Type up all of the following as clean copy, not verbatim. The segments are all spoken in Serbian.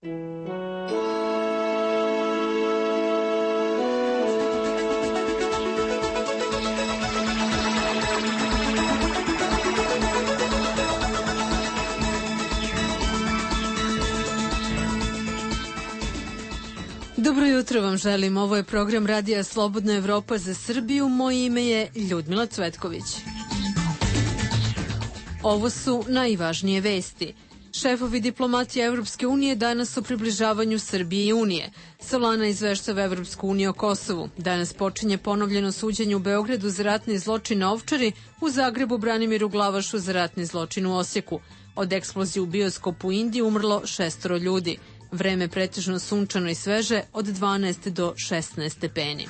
Dobro jutro vam želim. Ovo je program Radija Slobodna Evropa za Srbiju. Moje ime je Ljudmila Cvetković. Ovo su najvažnije vesti. Šefovi diplomatije Evropske unije danas o približavanju Srbije i Unije. Solana izveštava Evropsku uniju o Kosovu. Danas počinje ponovljeno suđenje u Beogradu za ratni zločin na Ovčari, u Zagrebu Branimiru Glavašu za ratni zločin u Osijeku. Od eksplozije u bioskopu u Indiji umrlo 6 ljudi. Vreme pretežno sunčano i sveže od 12 do 16 stepeni.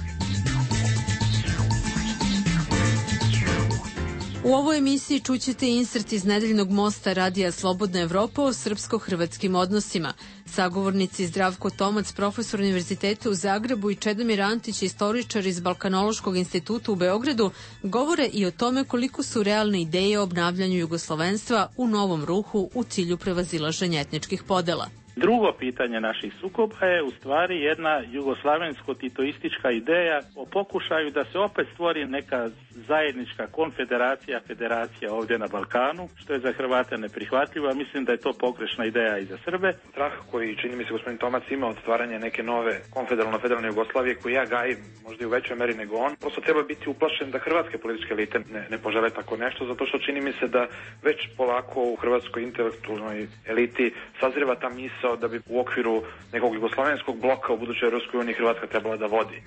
U ovoj emisiji čućete insert iz nedeljnog mosta Radija Slobodna Evropa o srpsko-hrvatskim odnosima. Sagovornici Zdravko Tomac, profesor Univerziteta u Zagrebu, i Čedomir Antić, istoričar iz Balkanološkog instituta u Beogradu, govore i o tome koliko su realne ideje o obnavljanju jugoslovenstva u novom ruhu u cilju prevazilaženja etničkih podela. Drugo pitanje naših sukoba je u stvari jedna jugoslavensko-titoistička ideja o pokušaju da se opet stvori neka zajednička konfederacija, federacija ovdje na Balkanu, što je za Hrvate neprihvatljivo, a mislim da je to pogrešna ideja i za Srbe. Strah koji, čini mi se, gospodin Tomac ima od stvaranja neke nove konfederalno-federalne Jugoslavije, koju ja gajim možda i u većoj meri nego on, prosto treba biti uplašen da hrvatske političke elite ne požele tako nešto, zato što čini mi se da već polako u hrvatskoj intelektualnoj eliti sazreva ta misao da bi u okviru nekog jugoslavenskog bloka u budućoj Ruskoj uniji Hrvatska trebala da vodi.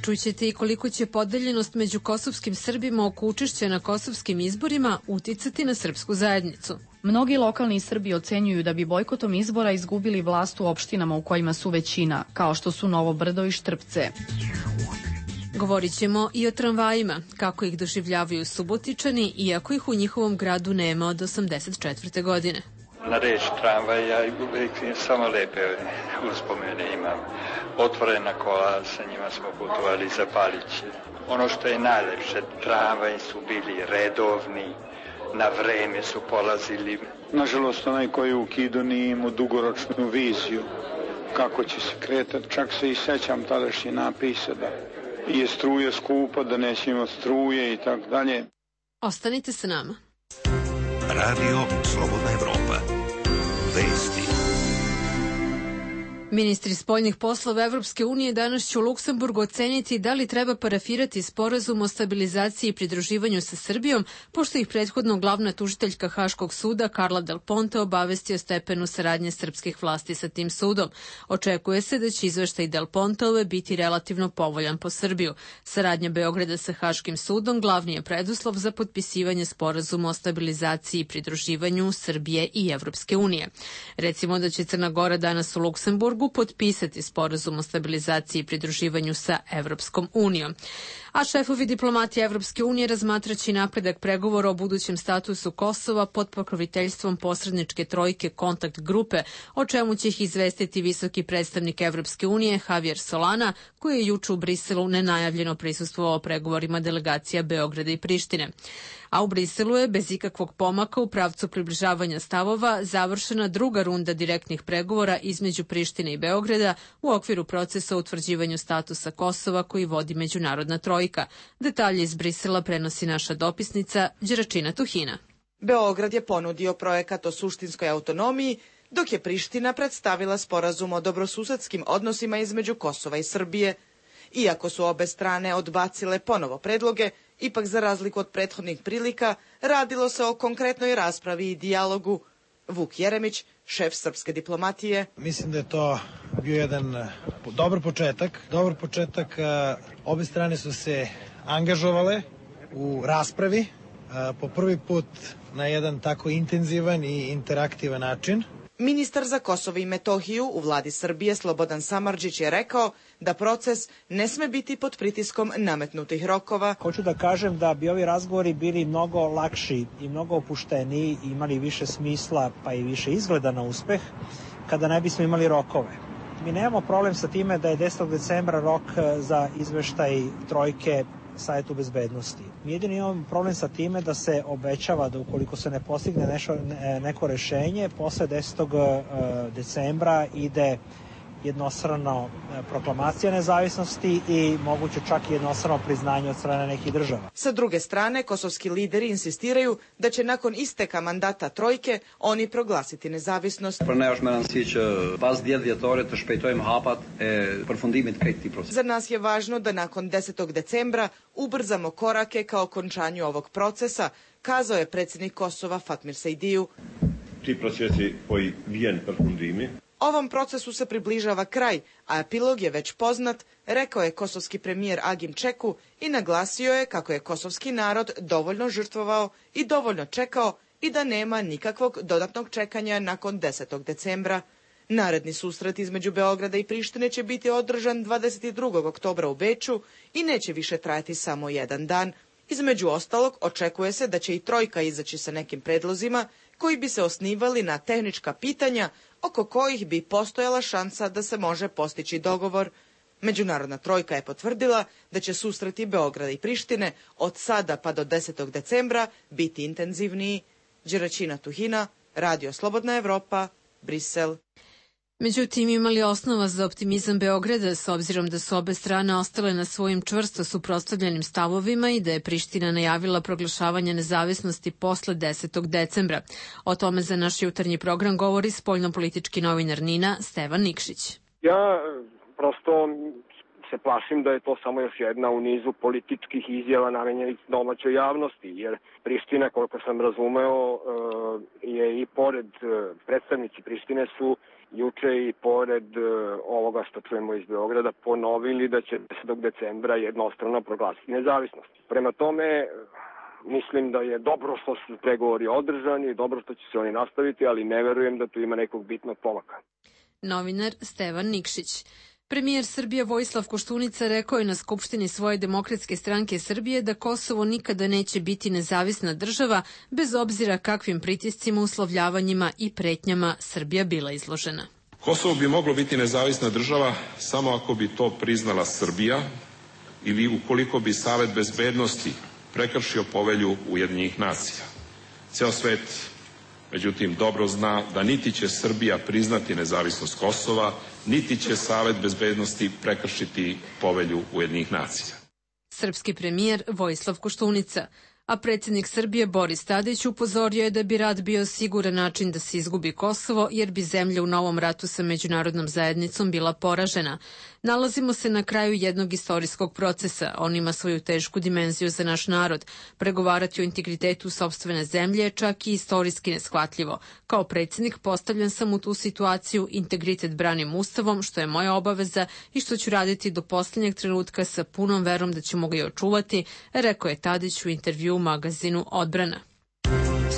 Čućete i koliko će podeljenost među kosovskim Srbima oko učešća na kosovskim izborima uticati na srpsku zajednicu. Mnogi lokalni Srbi ocenjuju da bi bojkotom izbora izgubili vlast u opštinama u kojima su većina, kao što su Novo Brdo i Štrpce. Govorit ćemo i o tramvajima, kako ih doživljavaju Subotičani, iako ih u njihovom gradu nema od 1984. godine. Na reč tramvaj ja uvijek samo lepe uspomene imam. Otvorena kola, sa njima smo putovali za Paliće. Ono što je najlepše, tramvaj su bili redovni, na vreme su polazili. Nažalost, onaj koji je ukido nije imao dugoročnu viziju kako će se kretati. Čak se i sećam tadašnji napisa da je struja skupa, da neće imati struje i tako dalje. Ostanite sa nama. Radio Slobodna Evropa. Vesti. Ministri spoljnih poslova Evropske unije danas će u Luksemburgu oceniti da li treba parafirati sporazum o stabilizaciji i pridruživanju sa Srbijom, pošto ih prethodno glavna tužiteljka Haškog suda Carla Del Ponte obavesti o stepenu saradnje srpskih vlasti sa tim sudom. Očekuje se da će izveštaj Del Ponteove biti relativno povoljan po Srbiju. Saradnja Beograda sa Haškim sudom glavni je preduslov za potpisivanje sporazuma o stabilizaciji i pridruživanju Srbije i Evropske unije. Recimo da će Crna Gora danas u Luksemburgu potpisati sporazum o stabilizaciji i pridruživanju sa Evropskom unijom. A šefovi diplomatije Evropske unije razmatraće napredak pregovora o budućem statusu Kosova pod pokroviteljstvom posredničke trojke Kontakt grupe, o čemu će ih izvestiti visoki predstavnik Evropske unije Javier Solana, koji je juče u Briselu nenajavljeno prisustvovao pregovorima delegacija Beograda i Prištine. A u Briselu je bez ikakvog pomaka u pravcu približavanja stavova završena druga runda direktnih pregovora između Prištine i Beograda u okviru procesa o utvrđivanju statusa Kosova koji vodi međunarodna trojka. Detalje iz Brisela prenosi naša dopisnica Đeračina Tuhina. Beograd je ponudio projekat o suštinskoj autonomiji, dok je Priština predstavila sporazum o dobrosusedskim odnosima između Kosova i Srbije. Iako su obe strane odbacile ponovo predloge, ipak za razliku od prethodnih prilika radilo se o konkretnoj raspravi i dijalogu. Vuk Jeremić, šef srpske diplomatije. Mislim da je to bio jedan dobar početak. Obe strane su se angažovale u raspravi po prvi put na jedan tako intenzivan i interaktivan način. Ministar za Kosovo i Metohiju u vladi Srbije Slobodan Samardžić je rekao da proces ne sme biti pod pritiskom nametnutih rokova. Hoću da kažem da bi ovi razgovori bili mnogo lakši i mnogo opušteniji, imali više smisla pa i više izgleda na uspeh kada ne bismo imali rokove. Mi nemamo problem sa time da je 10. decembra rok za izveštaj trojke Savjetu bezbednosti. Jedini imam problem sa time da se obećava da ukoliko se ne postigne neko rešenje, posle 10. decembra ide jednostrano proklamacija nezavisnosti i moguće čak i jednostrano priznanje od strane nekih država. Sa druge strane, kosovski lideri insistiraju da će nakon isteka mandata trojke oni proglasiti nezavisnost. Za nas je važno da nakon 10. decembra ubrzamo korake ka okončanju ovog procesa, kazao je predsjednik Kosova Fatmir Sejdiju. Ti procesi poi vien profundimi. Ovom procesu se približava kraj, a epilog je već poznat, rekao je kosovski premijer Agim Čeku i naglasio je kako je kosovski narod dovoljno žrtvovao i dovoljno čekao i da nema nikakvog dodatnog čekanja nakon 10. decembra. Naredni susret između Beograda i Prištine će biti održan 22. oktobra u Beču i neće više trajati samo jedan dan. Između ostalog, očekuje se da će i trojka izaći sa nekim predlozima koji bi se osnivali na tehnička pitanja oko kojih bi postojala šansa da se može postići dogovor. Međunarodna trojka je potvrdila da će susreti Beograda i Prištine od sada pa do 10. decembra biti intenzivniji. Đeraćina Tuhina, Radio Slobodna Evropa, Brisel. Međutim, imali osnova za optimizam Beograda s obzirom da su obe strane ostale na svojim čvrsto suprotstavljenim stavovima i da je Priština najavila proglašavanje nezavisnosti posle 10. decembra. O tome za naš jutarnji program govori spoljnopolitički novinar NIN-a Stevan Nikšić. Ja prosto se plašim da je to samo još jedna u nizu političkih izjava namenjenih domaćoj javnosti, jer Priština, koliko sam razumeo, je i pored predstavnici Prištine su juče i pored ovoga što čujemo iz Beograda ponovili da će 10. decembra jednostrano proglasiti nezavisnost. Prema tome, mislim da je dobro što su pregovori održani, dobro što će se oni nastaviti, ali ne verujem da tu ima nekog bitnog pomaka. Novinar Stevan Nikšić. Premijer Srbije Vojislav Koštunica rekao je na Skupštini svoje Demokratske stranke Srbije da Kosovo nikada neće biti nezavisna država, bez obzira kakvim pritiscima, uslovljavanjima i pretnjama Srbija bila izložena. Kosovo bi moglo biti nezavisna država samo ako bi to priznala Srbija ili ukoliko bi Savet bezbednosti prekršio povelju Ujedinjenih nacija. Ceo svet, međutim, dobro zna da niti će Srbija priznati nezavisnost Kosova, niti će Savet bezbednosti prekršiti povelju Ujedinjenih nacija. Srpski premijer Vojislav Koštunica. A predsjednik Srbije Boris Tadić upozorio je da bi rat bio siguran način da se izgubi Kosovo, jer bi zemlja u novom ratu sa međunarodnom zajednicom bila poražena. Nalazimo se na kraju jednog istorijskog procesa. On ima svoju tešku dimenziju za naš narod. Pregovarati o integritetu sopstvene zemlje je čak i istorijski neshvatljivo. Kao predsjednik postavljan sam u tu situaciju, integritet branim Ustavom, što je moja obaveza i što ću raditi do posljednjeg trenutka sa punom verom da ćemo ga i očuvati, rekao je Tadić u intervju u magazinu Odbrana.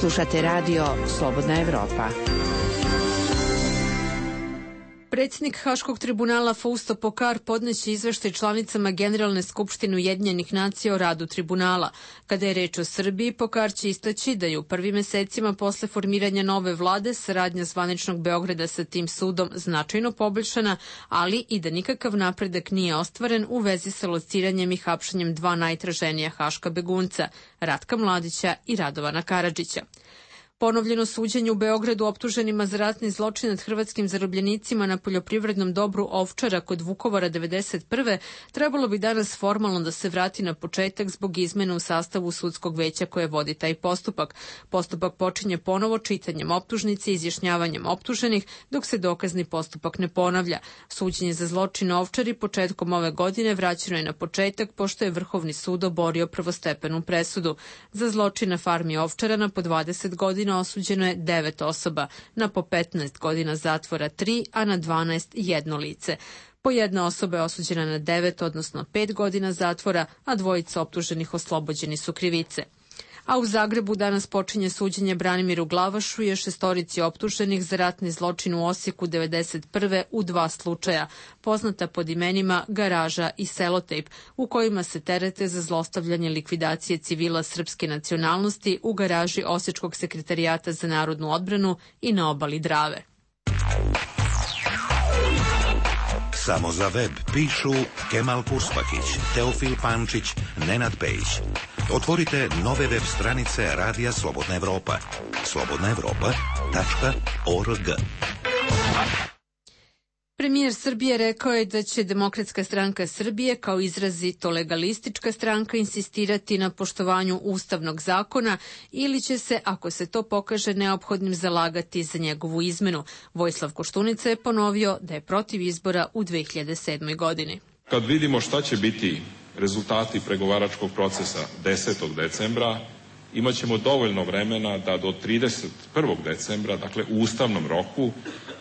Slušate radio Slobodna Evropa. Predsjednik Haškog tribunala Fausto Pokar podneće izveštaj članicama Generalne skupštine Ujedinjenih nacija o radu tribunala. Kada je reč o Srbiji, Pokar će istaći da je u prvim mesecima posle formiranja nove vlade saradnja zvaničnog Beograda sa tim sudom značajno poboljšana, ali i da nikakav napredak nije ostvaren u vezi sa lociranjem i hapšenjem dva najtraženija haška begunca, Ratka Mladića i Radovana Karadžića. Ponovljeno suđenje u Beogradu optuženima za ratni zločin nad hrvatskim zarobljenicima na poljoprivrednom dobru Ovčara kod Vukovara 1991. trebalo bi danas formalno da se vrati na početak zbog izmena u sastavu sudskog veća koje vodi taj postupak. Postupak počinje ponovo čitanjem optužnice i izjašnjavanjem optuženih, dok se dokazni postupak ne ponavlja. Suđenje za zločin Ovčari početkom ove godine vraćeno je na početak, pošto je Vrhovni sud oborio prvostepenu presudu. Za zločin na farmi Ovčarana po 20 godina osuđeno je 9 osoba, na po 15 godina zatvora 3, a na 12 jedno lice. Po jedna osoba je osuđena na 9, odnosno 5 godina zatvora, a dvojica optuženih oslobođeni su krivice. A u Zagrebu danas počinje suđenje Branimiru Glavašu i šestorici optuženih za ratni zločin u Osijeku 1991. u 2 slučaja, poznata pod imenima Garaža i Selotejp, u kojima se terete za zlostavljanje likvidacije civila srpske nacionalnosti u garaži Osječkog sekretarijata za narodnu odbranu i na obali Drave. Samo za web pišu Kemal Kuspakić, Teofil Pančić, Nenad Pejić. Otvorite nove web stranice Radija Slobodna Evropa. slobodnaevropa.org. Premijer Srbije rekao je da će Demokratska stranka Srbije kao izrazito legalistička stranka insistirati na poštovanju ustavnog zakona ili će se, ako se to pokaže neophodnim, zalagati za njegovu izmenu. Vojislav Koštunica je ponovio da je protiv izbora u 2007. godini. Kad vidimo šta će biti rezultati pregovaračkog procesa 10. decembra, imaćemo dovoljno vremena da do 31. decembra, dakle u ustavnom roku,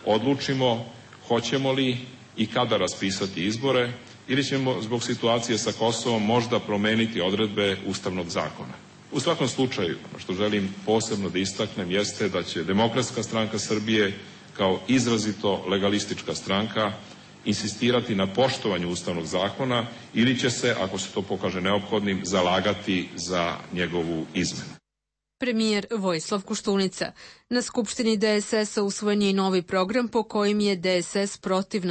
odlučimo hoćemo li i kada raspisati izbore ili ćemo zbog situacije sa Kosovom možda promeniti odredbe ustavnog zakona. U svakom slučaju, što želim posebno da istaknem, jeste da će Demokratska stranka Srbije kao izrazito legalistička stranka insistirati na poštovanju ustavnog zakona ili će se, ako se to pokaže neophodnim, zalagati za njegovu izmenu. Premijer Vojislav Koštunica. Na Skupštini DSS-a usvojen je i novi program po kojim je DSS protiv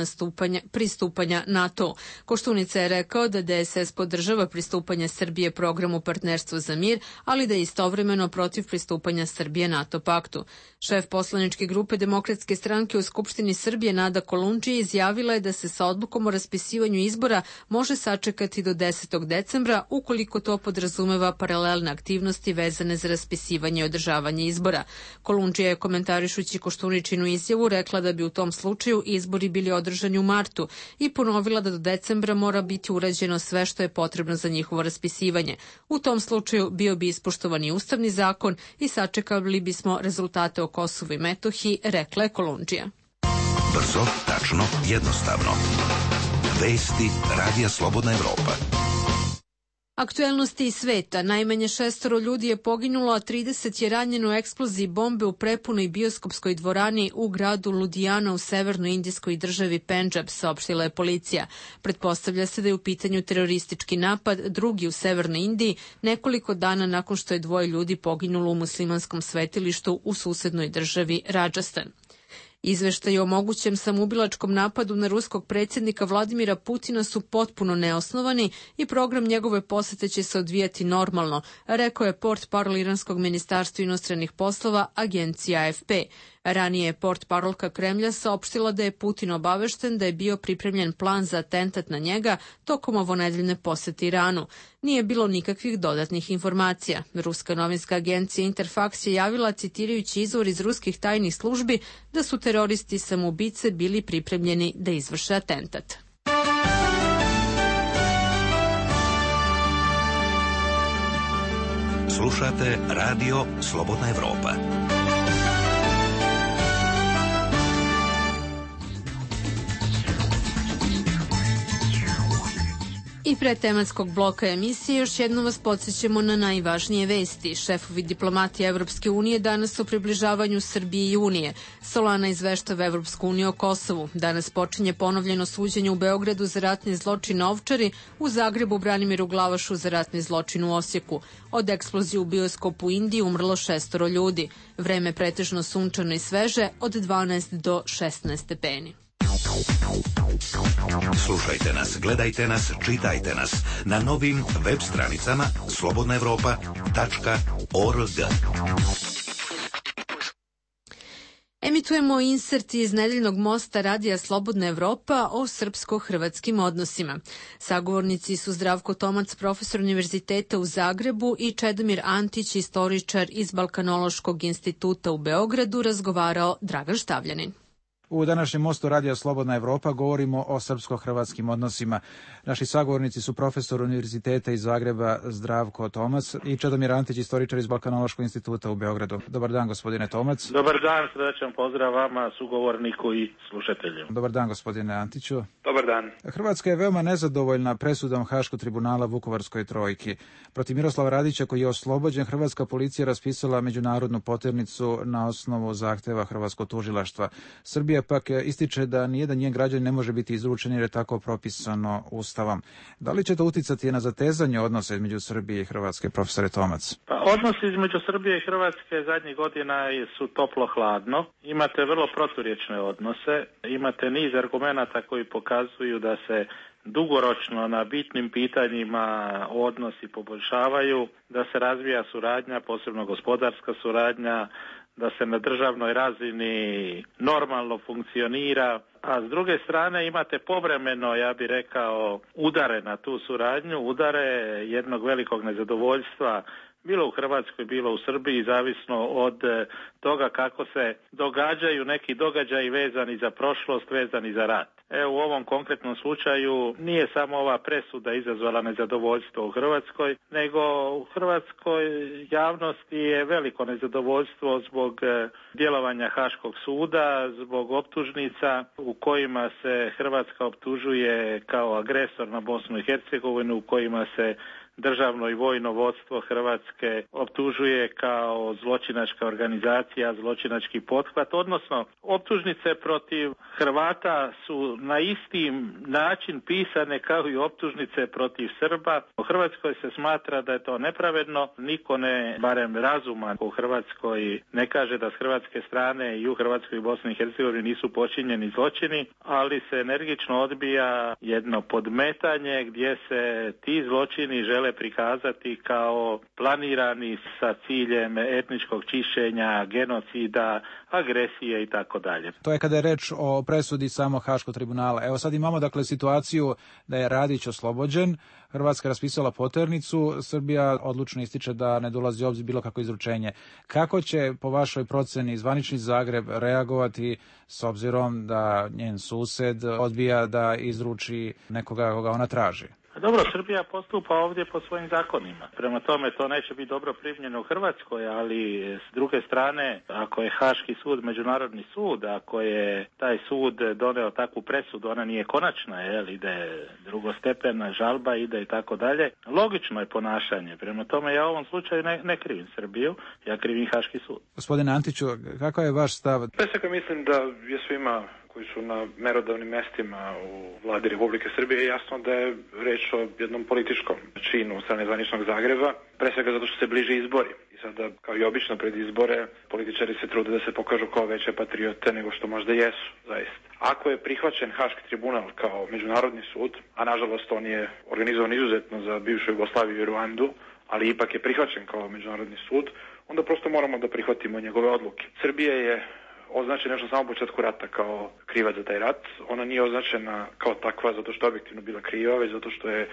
pristupanja NATO. Koštunica je rekao da DSS podržava pristupanje Srbije programu Partnerstvo za mir, ali da je istovremeno protiv pristupanja Srbije NATO paktu. Šef poslaničke grupe Demokratske stranke u Skupštini Srbije Nada Kolundžija izjavila je da se sa odlukom o raspisivanju izbora može sačekati do 10. decembra ukoliko to podrazumeva paralelne aktivnosti vezane za raspisivanje i održavanje izbora. Kolundžija je komentarišući Koštuničinu izjavu rekla da bi u tom slučaju izbori bili održani u martu i ponovila da do decembra mora biti urađeno sve što je potrebno za njihovo raspisivanje. U tom slučaju bio bi ispoštovan i ustavni zakon i sačekali bismo rezultate o Kosovu i Metohiji, rekla je Kolundžija. Brzo, tačno, jednostavno. Vesti Radija Slobodna Evropa. Aktuelnosti iz sveta. Najmanje 6 ljudi je poginulo, a 30 je ranjeno u eksploziji bombe u prepunoj bioskopskoj dvorani u gradu Ludhiana u severnoindijskoj državi Pendžab, saopštila je policija. Pretpostavlja se da je u pitanju teroristički napad, drugi u severnoj Indiji, nekoliko dana nakon što je 2 ljudi poginulo u muslimanskom svetilištu u susednoj državi Rajasthan. Izveštaji o mogućem samoubilačkom napadu na ruskog predsjednika Vladimira Putina su potpuno neosnovani i program njegove posete će se odvijati normalno, rekao je portparol iranskog ministarstva inostranih poslova agencija AFP. Ranije je portparolka Kremlja saopštila da je Putin obavešten da je bio pripremljen plan za atentat na njega tokom ovonedeljne posete Iranu. Nije bilo nikakvih dodatnih informacija. Ruska novinska agencija Interfax je javila, citirajući izvor iz ruskih tajnih službi, da su teroristi samoubice bili pripremljeni da izvrše atentat. Slušate Radio Slobodna Evropa. I pre tematskog bloka emisije još jednom vas podsjećamo na najvažnije vesti. Šefovi diplomatije Evropske unije danas o približavanju Srbije i Unije. Solana izveštava Evropsku uniju o Kosovu. Danas počinje ponovljeno suđenje u Beogradu za ratni zločin na Ovčari, u Zagrebu Branimiru Glavašu za ratni zločin u Osijeku. Od eksplozije u bioskopu u Indiji umrlo 6 ljudi. Vreme pretežno sunčano i sveže od 12 do 16 stepeni. Slušajte nas, gledajte nas, čitajte nas na novim web stranicama slobodnaevropa.org. Emitujemo insert iz nedeljnog mosta Radija Slobodna Evropa o srpsko-hrvatskim odnosima. Sagovornici su Zdravko Tomac, profesor univerziteta u Zagrebu, i Čedomir Antić, istoričar iz Balkanološkog instituta u Beogradu, razgovarao Dragan Štavljanin. U današnjem mostu Radija Slobodna Evropa govorimo o srpsko-hrvatskim odnosima. Naši sagovornici su profesor univerziteta iz Zagreba Zdravko Tomac i Čedomir Antić, istoričar iz Balkanološkog instituta u Beogradu. Dobar dan, gospodine Tomac. Dobar dan, srdačan pozdrav vama, sugovorniku i slušatelju. Dobar dan, gospodine Antiću. Dobar dan. Hrvatska je veoma nezadovoljna presudom Haškog tribunala Vukovarskoj trojki. Protiv Miroslava Radića, koji je oslobođen, hrvatska policija raspisala međunarodnu poternicu na osnovu zahteva hrvatskog tužilaštva. Srbija Srbija pak ističe da nijedan njen građanin ne može biti izručen jer je tako propisano Ustavom. Da li će to uticati na zatezanje odnosa između Srbije i Hrvatske, profesore Tomac? Pa, odnosi između Srbije i Hrvatske zadnjih godina su toplo-hladno. Imate vrlo proturječne odnose, imate niz argumenata koji pokazuju da se dugoročno na bitnim pitanjima odnosi poboljšavaju, da se razvija suradnja, posebno gospodarska suradnja, da se na državnoj razini normalno funkcionira, a s druge strane imate povremeno, ja bih rekao, udare na tu suradnju, udare jednog velikog nezadovoljstva, bilo u Hrvatskoj, bilo u Srbiji, zavisno od toga kako se događaju neki događaji vezani za prošlost, vezani za rat. Evo, u ovom konkretnom slučaju nije samo ova presuda izazvala nezadovoljstvo u Hrvatskoj, nego u hrvatskoj javnosti je veliko nezadovoljstvo zbog djelovanja Haškog suda, zbog optužnica u kojima se Hrvatska optužuje kao agresor na Bosnu i Hercegovinu, u kojima se državno i vojno vodstvo Hrvatske optužuje kao zločinačka organizacija, zločinački pothvat, odnosno optužnice protiv Hrvata su na isti način pisane kao i optužnice protiv Srba. U Hrvatskoj se smatra da je to nepravedno, niko ne, barem razuman u Hrvatskoj, ne kaže da s hrvatske strane i u Hrvatskoj i Bosni i Hercegovini nisu počinjeni zločini, ali se energično odbija jedno podmetanje gdje se ti zločini žele prikazati kao planirani sa ciljem etničkog čišćenja, genocida, agresije i tako dalje. To je kada je reč o presudi samog Haškog tribunala. Evo sad imamo dakle situaciju da je Radić oslobođen, Hrvatska raspisala poternicu, Srbija odlučno ističe da ne dolazi u obzir bilo kako izručenje. Kako će po vašoj proceni zvanični Zagreb reagovati s obzirom da njen sused odbija da izruči nekoga koga ona traži? Dobro, Srbija postupa ovdje po svojim zakonima. Prema tome to neće biti dobro primljeno u Hrvatskoj, ali s druge strane, ako je Haški sud međunarodni sud, ako je taj sud doneo takvu presudu, ona nije konačna, ide drugostepena žalba, ide i tako dalje. Logično je ponašanje. Prema tome ja u ovom slučaju ne krivim Srbiju, ja krivim Haški sud. Gospodine Antiću, kakav je vaš stav? Pre svega mislim da je svima koji su na merodavnim mestima u vladi Republike Srbije jasno da je reč o jednom političkom činu strane zvaničnog Zagreba, pre svega zato što se bliže izbori. I sada, kao i obično pred izbore, političari se trude da se pokažu kao veće patriote nego što možda jesu, zaista. Ako je prihvaćen Haški tribunal kao međunarodni sud, a nažalost on je organizovan izuzetno za bivšu Jugoslaviju i Ruandu, ali ipak je prihvaćen kao međunarodni sud, onda prosto moramo da prihvatimo njegove odluke. Srbija je označena još na samom početku rata kao krivac za taj rat. Ona nije označena kao takva zato što je objektivno bila kriva, već zato što je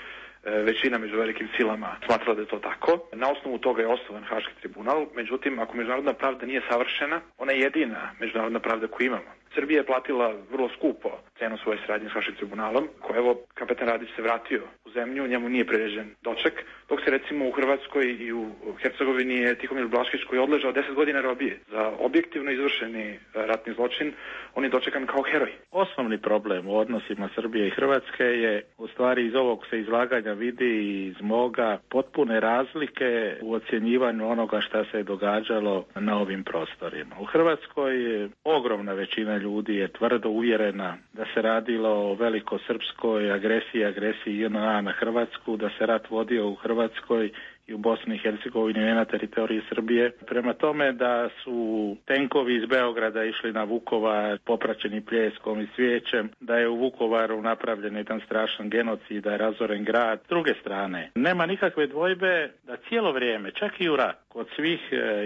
većina među velikim silama smatrala da je to tako. Na osnovu toga je osnovan Haški tribunal, međutim, ako međunarodna pravda nije savršena, ona je jedina međunarodna pravda koju imamo. Srbija je platila vrlo skupo cenu svoje saradnje s Haškim tribunalom, koji evo kapetan Radić se vratio u zemlju, njemu nije priređen doček, dok se recimo u Hrvatskoj i u Hercegovini je Tihomir Blaškić koji je odležao 10 godina robije za objektivno izvršeni ratni zločin, on je dočekan kao heroj. Osnovni problem u odnosima Srbije i Hrvatske je, u stvari iz ovog se izlaganja vidi iz moga, potpune razlike u ocjenjivanju onoga šta se je događalo na ovim prostorima. U Hrvatskoj je ogromna većina ljudi je tvrdo uvjerena da se radilo o velikosrpskoj agresiji JNA na Hrvatsku, da se rat vodio u Hrvatskoj i u Bosni i Hercegovini, ne na teritoriji Srbije. Prema tome da su tenkovi iz Beograda išli na Vukovar popraćeni pljeskom i svijećem, da je u Vukovaru napravljen jedan strašan genocid, da je razoren grad. S druge strane, nema nikakve dvojbe da cijelo vrijeme, čak i u rat, kod svih,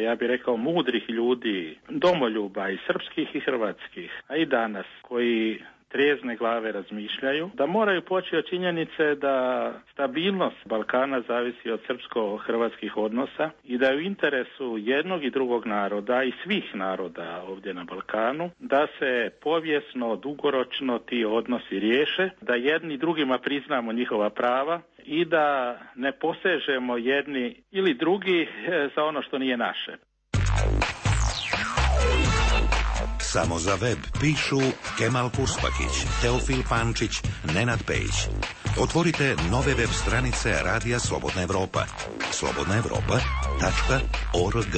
ja bih rekao, mudrih ljudi, domoljuba i srpskih i hrvatskih, a i danas, koji trijezne glave razmišljaju, da moraju poći od činjenice da stabilnost Balkana zavisi od srpsko-hrvatskih odnosa i da je u interesu jednog i drugog naroda i svih naroda ovdje na Balkanu da se povijesno, dugoročno ti odnosi riješe, da jedni drugima priznamo njihova prava i da ne posežemo jedni ili drugi za ono što nije naše. Samo za web pišu Kemal Kurspakić, Teofil Pančić, Nenad Pejić. Otvorite nove web stranice Radija Slobodna Evropa. slobodnaevropa.org.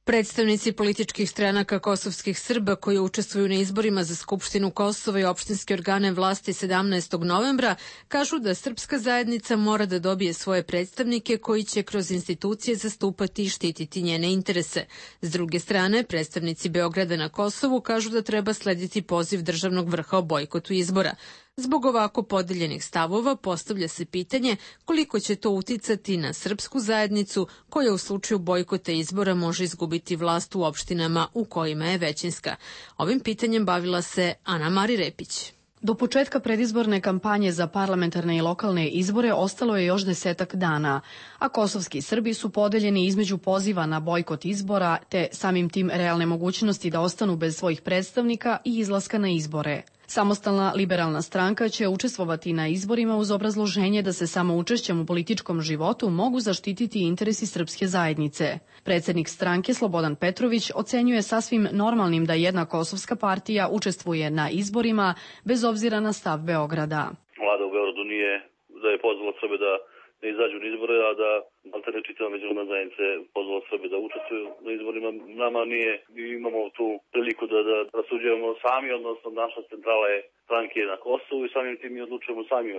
Predstavnici političkih stranaka kosovskih Srba koji učestvuju na izborima za Skupštinu Kosova i opštinske organe vlasti 17. novembra kažu da srpska zajednica mora da dobije svoje predstavnike koji će kroz institucije zastupati i štititi njene interese. S druge strane, predstavnici Beograda na Kosovu kažu da treba slediti poziv državnog vrha o bojkotu izbora. Zbog ovako podeljenih stavova postavlja se pitanje koliko će to uticati na srpsku zajednicu koja u slučaju bojkota izbora može izgubiti vlast u opštinama u kojima je većinska. Ovim pitanjem bavila se Ana Mari Repić. Do početka predizborne kampanje za parlamentarne i lokalne izbore ostalo je još 10 dana, a kosovski Srbi su podeljeni između poziva na bojkot izbora te samim tim realne mogućnosti da ostanu bez svojih predstavnika i izlaska na izbore. Samostalna liberalna stranka će učestvovati na izborima uz obrazloženje da se samo učešćem u političkom životu mogu zaštititi interesi srpske zajednice. Predsednik stranke Slobodan Petrović ocenjuje sasvim normalnim da jedna kosovska partija učestvuje na izborima bez obzira na stav Beograda. Vlada u Beogradu nije da je pozvala Srbe da ne izađu na izbore, a da alterne čitava međunarodna zajednica je pozvala Srbe da učestvuju na izborima. Nama nije, imamo tu priliku da rasuđujemo sami, odnosno naša centrala je stranke na Kosovu i samim tim mi odlučujemo sami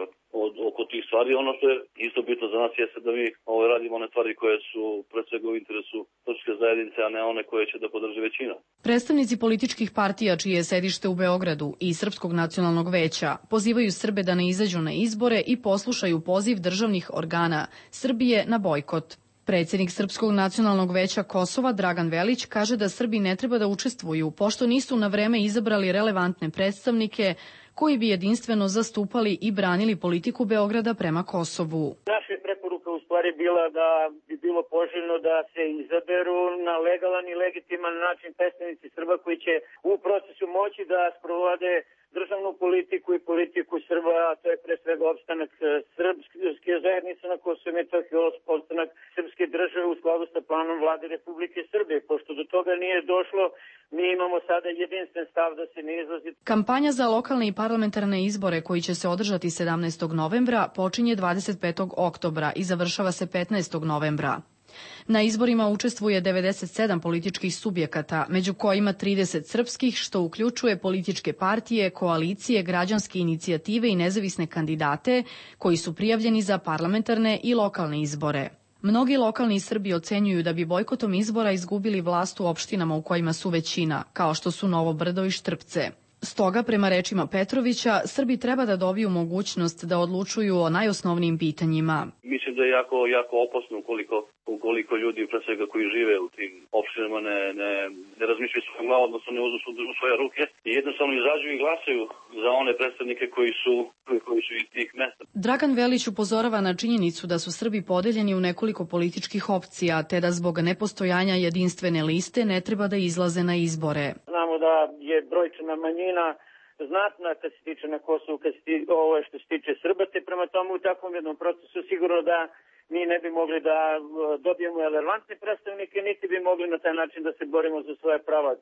oko tih stvari. Ono što je isto bitno za nas jeste da mi radimo one stvari koje su pre svega u interesu srpske zajednice, a ne one koje će da podrži većina. Predstavnici političkih partija čije je sedište u Beogradu i Srpskog nacionalnog veća pozivaju Srbe da ne izađu na izbore i poslušaju poziv državnih organa Srbije na bojkot. Predsjednik Srpskog nacionalnog veća Kosova Dragan Velić kaže da Srbi ne treba da učestvuju pošto nisu na vreme izabrali relevantne predstavnike koji bi jedinstveno zastupali i branili politiku Beograda prema Kosovu. Naša preporuka u stvari bila da bi bilo poželjno da se izaberu na legalan i legitiman način predstavnici Srba koji će u procesu moći da sprovode državnu politiku i politiku Srba, a to je pre svega opstanak srpske zajednice na Kosovu i Metohiji, opstanak srpske države u skladu sa planom vlade Republike Srbije. Pošto do toga nije došlo, mi imamo sada jedinstven stav da se ne izlazi. Kampanja za lokalne i parlamentarne izbore koji će se održati 17. novembra počinje 25. oktobra i završava se 15. novembra. Na izborima učestvuje 97 političkih subjekata, među kojima 30 srpskih, što uključuje političke partije, koalicije, građanske inicijative i nezavisne kandidate koji su prijavljeni za parlamentarne i lokalne izbore. Mnogi lokalni Srbi ocenjuju da bi bojkotom izbora izgubili vlast u opštinama u kojima su većina, kao što su Novo Brdo i Štrpce. Stoga, prema rečima Petrovića, Srbi treba da dobiju mogućnost da odlučuju o najosnovnijim pitanjima. Mislim da je jako opasno ukoliko ljudi, pre svega koji žive u tim opštinama, ne razmišljaju svojom glavom, odnosno ne uzmu u svoje ruke i jednostavno izađu i glasaju za one predstavnike koji su iz tih mesta. Dragan Velić upozorava na činjenicu da su Srbi podeljeni u nekoliko političkih opcija, te da zbog nepostojanja jedinstvene liste ne treba da izlaze na izbore. Znamo da je brojčana manjina znatna kad se tiče na Kosovu, što se tiče Srba, te prema tomu u takvom jednom procesu sigurno da mi ne bi mogli da dobijemo relevantne predstavnike, niti bi mogli na taj način da se borimo za svoje prava.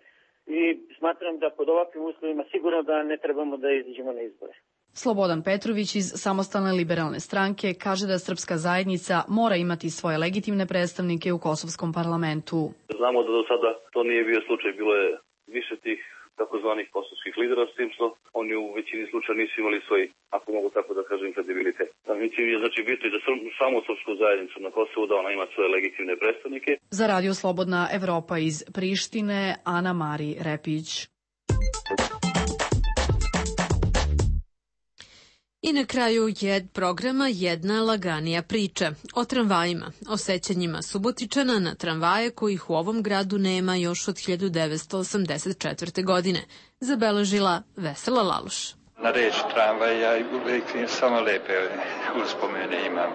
I smatram da pod ovakvim uslovima sigurno da ne trebamo da izađemo na izbore. Slobodan Petrović iz Samostalne liberalne stranke kaže da srpska zajednica mora imati svoje legitimne predstavnike u kosovskom parlamentu. Znamo da do sada to nije bio slučaj, bilo je više tih takozvanih kosovskih lidera, s tim što oni u većini slučaja nisu imali svoj, ako mogu tako da kažem, kredibilitet. Mislim je znači bitno i za samu srpsku zajednicu na Kosovu da ona ima svoje legitimne predstavnike. Za Radio Slobodna Evropa iz Prištine, Ana Mari Repić. I na kraju programa jedna laganija priča o tramvajima, o sećanjima Subotičana na tramvaje kojih u ovom gradu nema još od 1984. godine, zabeležila Vesela Laloš. Na reč tramvaj ja uvijek samo lepe uspomene imam.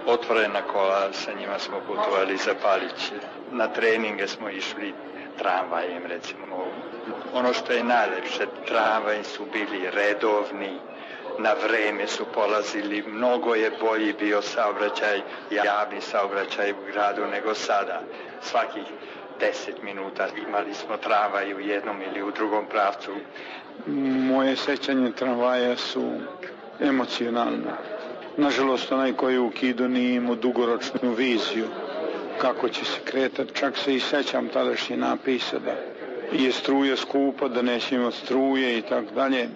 Otvorena kola, sa njima smo putovali za Paliće. Na treninge smo išli tramvajem, recimo. Ono što je najlepše, tramvaj su bili redovni, na vreme su polazili, mnogo je bolji bio saobraćaj, javni saobraćaj u gradu nego sada. Svakih 10 minuta imali smo tramvaj u jednom ili u drugom pravcu. Moje sećanje tramvaja su emocionalne. Nažalost, onaj koji je ukidao nije imao dugoročnu viziju kako će se kretati. Čak se i sećam tadašnje napisa da je struja skupa, da neće imati struje i tako dalje.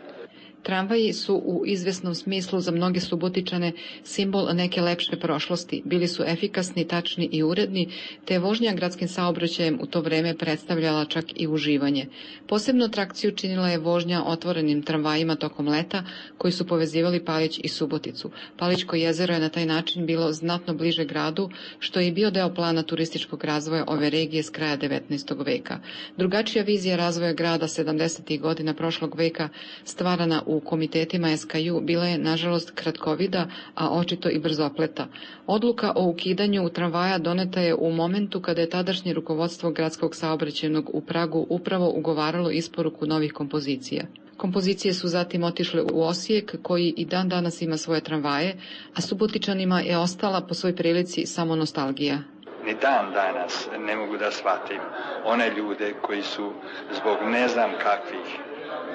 Tramvaji su u izvesnom smislu za mnoge Subotičane simbol neke lepše prošlosti. Bili su efikasni, tačni i uredni, te je vožnja gradskim saobraćajem u to vreme predstavljala čak i uživanje. Posebnu atrakciju činila je vožnja otvorenim tramvajima tokom leta, koji su povezivali Palić i Suboticu. Palićko jezero je na taj način bilo znatno bliže gradu, što je i bio deo plana turističkog razvoja ove regije s kraja 19. veka. Drugačija vizija razvoja grada 70. godina prošlog veka, stvarana u komitetima SKJ, bila je nažalost kratkovida, a očito i brzopleta. Odluka o ukidanju tramvaja doneta je u momentu kada je tadašnje rukovodstvo gradskog saobraćajnog u Pragu upravo ugovaralo isporuku novih kompozicija. Kompozicije su zatim otišle u Osijek, koji i dan danas ima svoje tramvaje, a Subotičanima je ostala po svoj prilici samo nostalgija. Ni dan danas ne mogu da shvatim one ljude koji su zbog ne znam kakvih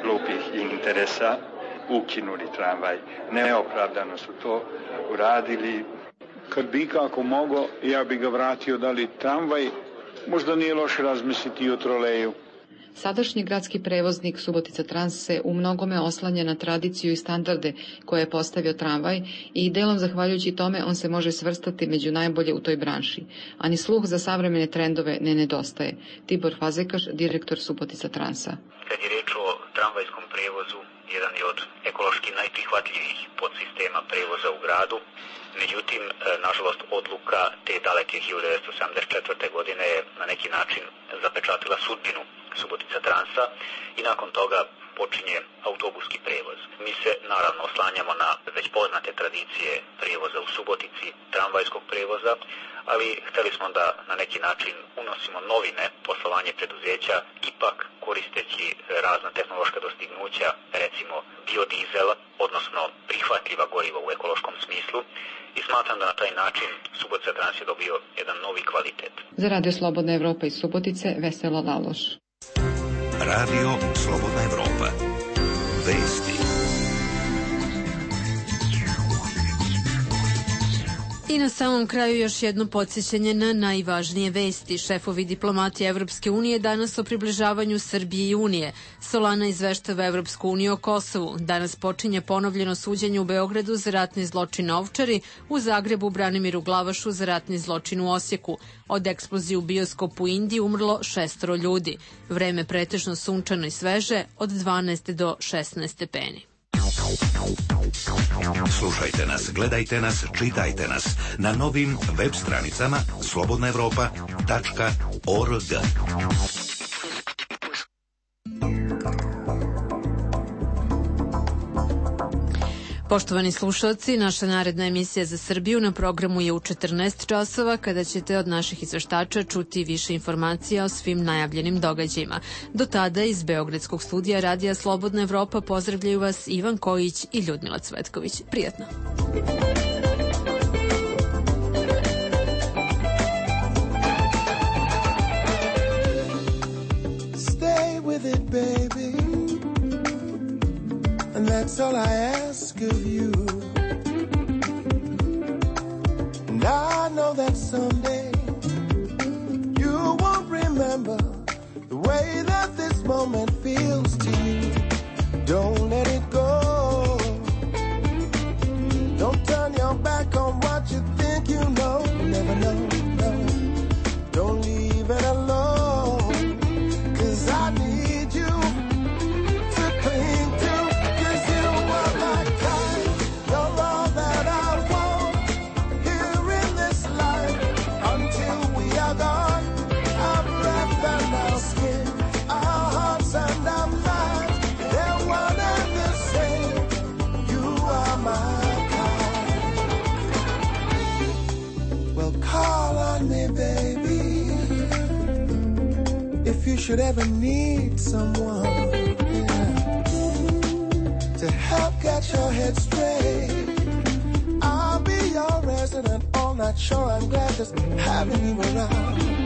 glupih interesa ukinuli tramvaj. Neopravdano su to uradili. Kad bi kako mogo, ja bi ga vratio, da li tramvaj, možda nije loše razmisliti i o troleju. Sadašnji gradski prevoznik Subotica Trans se u mnogome oslanja na tradiciju i standarde koje je postavio tramvaj i delom zahvaljujući tome on se može svrstati među najbolje u toj branši. A ni sluh za savremene trendove ne nedostaje. Tibor Fazekaš, direktor Subotica Transa. Kad je reč o tramvajskom prevozu, jedan je od ekološki najprihvatljivijih podsistema prevoza u gradu. Međutim, nažalost, odluka te daleke 1974. godine je na neki način zapečatila sudbinu Subotica Transa i nakon toga počinje autobuski prevoz. Mi se naravno oslanjamo na već poznate tradicije prevoza u Subotici, tramvajskog prevoza, ali hteli smo da na neki način unosimo novine, poslovanje preduzeća, ipak koristeći razna tehnološka dostignuća, recimo biodizel, odnosno prihvatljiva goriva u ekološkom smislu, i smatram da na taj način Subotica Trans je dobio jedan novi kvalitet. Za Radio Slobodna Evropa iz Subotice, Vesela Laloš. Radio Slobodna Evropa. Vesti. I na samom kraju još jedno podsjećanje na najvažnije vesti. Šefovi diplomatije Evropske unije danas o približavanju Srbije i Unije. Solana izveštava Evropsku uniju o Kosovu. Danas počinje ponovljeno suđenje u Beogradu za ratni zločin na Ovčari, u Zagrebu Branimiru Glavašu za ratni zločin u Osijeku. Od eksplozije u bioskopu u Indiji umrlo 6 ljudi. Vreme pretežno sunčano i sveže, od 12 do 16 stepeni. Slušajte nas, gledajte nas, čitajte nas na novim web stranicama slobodnaevropa.org. Poštovani slušalci, naša naredna emisija za Srbiju na programu je u 14 časova, kada ćete od naših izveštača čuti više informacija o svim najavljenim događajima. Do tada iz Beogradskog studija Radija Slobodna Evropa pozdravljaju vas Ivan Kojić i Ljudmila Cvetković. Prijatno! Stay with it, baby. And that's all I ask of you. And I know that someday you won't remember the way that this moment feels to you. Don't let it go. Don't turn your back on what you think you know. You never know, no. Don't leave it alone. 'Cause I need you to cling to. If you should ever need someone, yeah, to help get your head straight, I'll be your resident all night. Sure, I'm glad just having you around.